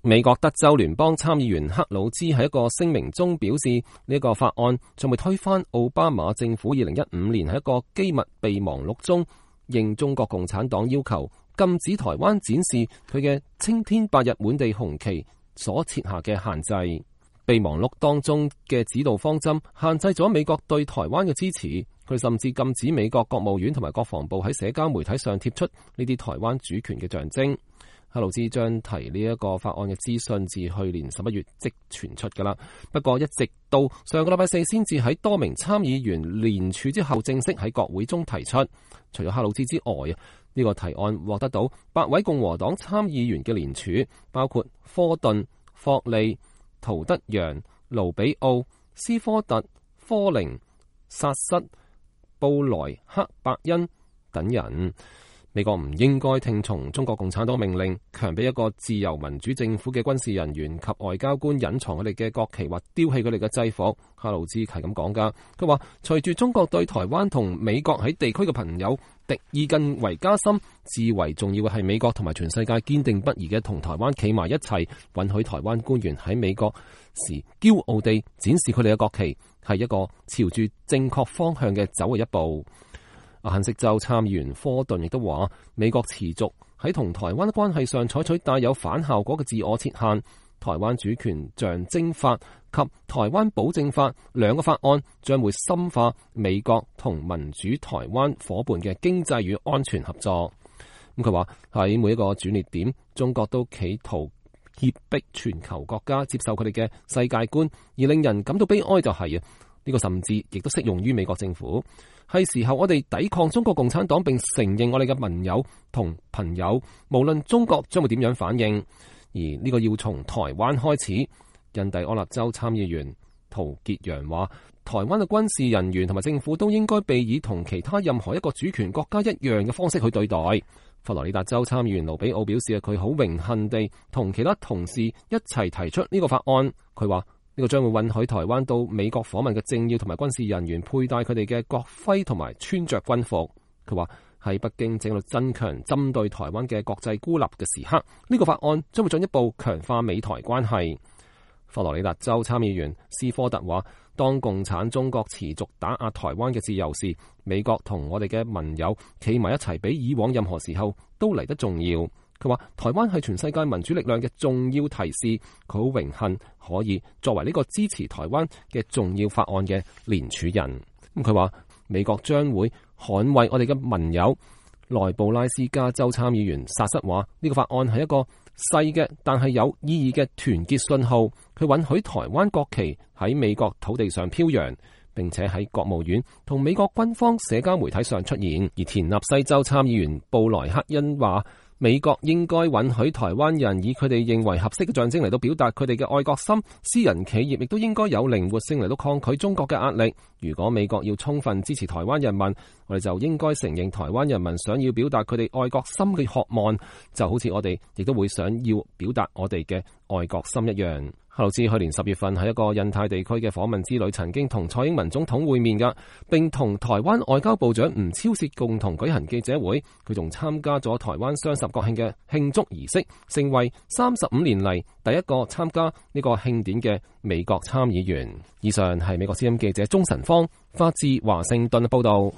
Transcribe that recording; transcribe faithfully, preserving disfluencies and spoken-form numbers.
美國德州聯邦參議員克魯茲喺一個聲明中表示，呢、這個法案將會推翻奧巴馬政府二零一五年喺一個機密備忘錄中應中國共產黨要求禁止台灣展示佢嘅青天白日滿地紅旗所設下嘅限制。備忘錄當中嘅指導方針限制咗美國對台灣嘅支持，佢甚至禁止美國國務院同埋國防部喺社交媒體上貼出呢啲台灣主權嘅象徵。克魯茲將提呢一個法案嘅資訊自去年十一月即傳出噶啦，不過一直到上個禮拜四先至喺多名參議員聯署之後正式喺國會中提出。除咗克魯茲之外啊，呢、這個提案獲得到八位共和黨參議員嘅聯署，包括科頓、霍利、陶德揚、盧比奧、斯科特、科寧、薩瑟、布萊克伯恩等人。美國唔應該聽從中國共產黨命令，強迫一個自由民主政府嘅軍事人員及外交官隱藏佢哋嘅國旗或丟棄佢哋嘅制服。克魯茲係咁講噶，佢話隨住中國對台灣同美國喺地區嘅朋友敵意更為加深，至為重要嘅係美國同埋全世界堅定不移嘅同台灣企埋一齊，允許台灣官員喺美國時驕傲地展示佢哋嘅國旗，係一個朝住正確方向嘅走嘅一步。阿肯色州參議員科頓亦都話，美國持續喺同台灣關係上採取帶有反效果嘅自我設限。台灣主權象徵法及台灣保證法兩個法案將會深化美國同民主台灣夥伴嘅經濟與安全合作。咁佢話喺每一個轉捩點，中國都企圖脅迫全球國家接受佢哋嘅世界觀，而令人感到悲哀就係啊，呢個甚至亦都適用於美國政府。係時候我哋抵抗中國共產黨，並承認我哋嘅盟友同朋友，無論中國將會點樣反應。而呢個要從台灣開始。印第安納州參議員陶傑陽話，台灣嘅軍事人員同埋政府都應該被以同其他任何一個主權國家一樣嘅方式去對待。佛羅里達州參議員盧比奧表示，佢好榮幸地同其他同事一齊提出呢個法案。佢話呢個將會允許台灣到美國訪問嘅政要同埋軍事人員佩戴佢哋嘅國徽同埋穿着軍服。佢話喺北京正喺度增強針對台灣嘅國際孤立嘅時刻，呢個法案將會進一步強化美台關係。佛羅里達州參議員斯科特話，當共產中國持續打壓台灣嘅自由時，美國同我哋嘅盟友企埋一齊，比以往任何時候都嚟得重要。佢話台灣係全世界民主力量嘅重要提示，佢好榮幸可以作為呢個支持台灣嘅重要法案嘅聯署人。咁佢話美國將會捍衛我哋嘅盟友。內布拉斯加州參議員薩瑟話，呢個法案係一個細嘅但係有意義嘅團結信號，佢允許台灣國旗喺美國土地上飄揚，並且喺國務院同美國軍方社交媒體上出現。而田納西州參議員布萊克恩話，美國應該允許台灣人以佢哋認為合適嘅象徵嚟到表達佢哋嘅愛國心，私人企業亦都應該有靈活性嚟到抗拒中國嘅壓力。如果美國要充分支持台灣人民，我哋就應該承認台灣人民想要表達佢哋愛國心嘅渴望，就好似我哋亦都會想要表達我哋嘅愛國心一樣。克魯茲去年十月份喺一個印太地區嘅訪問之旅，曾經同蔡英文總統會面㗎，並同台灣外交部長吳釗燮共同舉行記者會。佢仲參加咗台灣雙十國慶嘅慶祝儀式，成為三十五年嚟第一個參加呢個慶典嘅美國參議員。以上係美國之音記者鍾晨芳發自華盛頓報道。